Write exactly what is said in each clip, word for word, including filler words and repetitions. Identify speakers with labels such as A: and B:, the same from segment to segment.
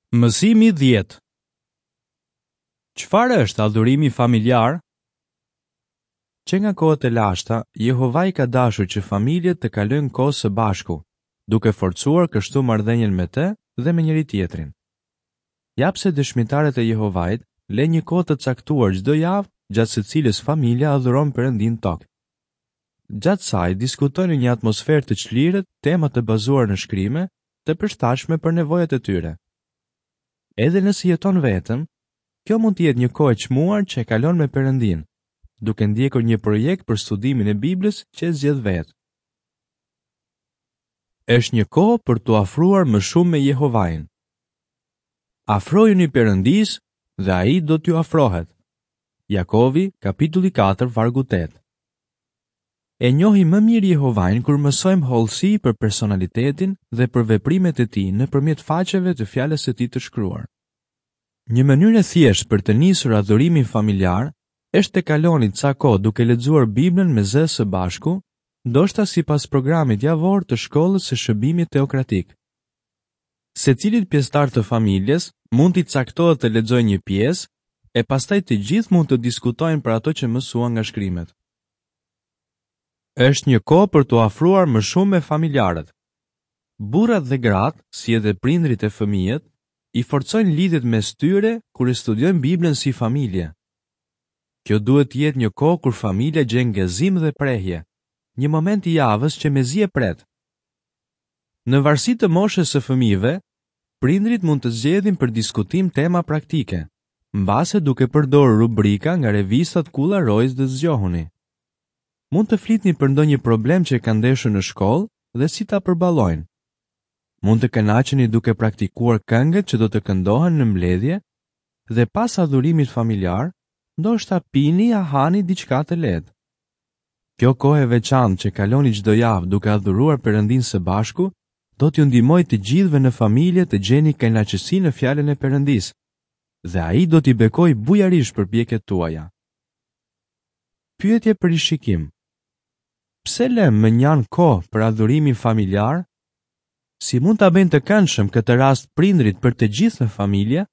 A: Mësimi dhjetë. Çfarë është adhurimi familjar? Që nga kohët e lashta, Jehovai ka dashur që familjet të kalojnë kohë së bashku, duke forcuar kështu marrëdhënien me të dhe me njëri tjetrin. Ja pse dëshmitarët e Jehovait lënë një kohë të caktuar çdo javë gjatë së cilës familja adhuron Perëndin tok. Gjatë saj diskutojnë në një atmosferë të çlirët tema të bazuar në shkrime, të përshtatshme për nevojat e tyre. Edhe nëse jeton vetëm, kjo mund të jetë një kohë e çmuar që e kalon me Perëndin, duke ndjekur një projekt për studimin e Biblës që e zgjedh vetë. Është një kohë për t'u afruar më shumë me Jehovain. Afrojuni Perëndisë dhe ai do t'ju afrohet. Jakovi, kapitulli katër, vargu tetë. E njohim më mirë Jehovain kur mësojmë hollësi për personalitetin dhe për veprimet e tij nëpërmjet faqeve të fjalës së tij të shkruar. Një mënyrë e thjeshtë për të nisur adhurimin familjar është të kaloni ca kohë duke lexuar Biblën me zë së bashku, ndoshta sipas programit javor të shkollës së shërbimit teokratik. Secilit pjesëtar të familjes mund t'i caktohet të lexojë një pjesë, e pastaj të gjithë mund të diskutojnë për ato që mësuan nga shkrimet. Është një kohë për t'u afruar më shumë me familjarët. Burrat dhe gratë, si edhe prindrit e fëmijët, i forcojnë lidhjet mes tyre kur e studiojnë Biblën si familje. Kjo duhet të jetë një kohë kur familja gjen gëzim dhe prehje, një moment i javës që mezi e pret. Në varësi të moshës së fëmijëve, prindrit mund të zgjedhin për diskutim tema praktike, mbase duke përdorur rubrika nga revistat Kulla Rojës dhe Zgjohuni. Mund të flitni për ndonjë problem që kanë ndeshur në shkollë dhe si ta përballojnë. Mund të kënaqeni duke praktikuar këngët që do të këndohen në mbledhje dhe pas adhurimit familjar, ndoshta pini a hani diçka të lehtë. Kjo kohë e veçantë që kaloni çdo javë duke adhuruar Perëndin së bashku, do t'ju ndihmojë të gjithëve në familje të gjeni kënaqësi në fjalën e Perëndisë, dhe ai do t'i bekojë bujarisht përpjekjet tuaja. Pyetje për rishikim. Pse lëm më njanë kohë për adhurimin familjar? Si mund ta bëjnë të këndshëm këtë rast prindrit për të gjithë në familje?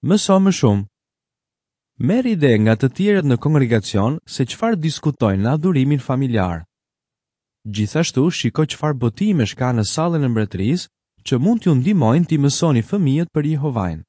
A: Mëso më shumë. Merr ide nga të tjerët në kongregacion se çfarë diskutojnë në adhurimin familjar. Gjithashtu, shiko çfarë botimesh ka në sallën e mbretërisë që mund t'ju ndihmojnë t'i mësoni fëmijët për Jehovain.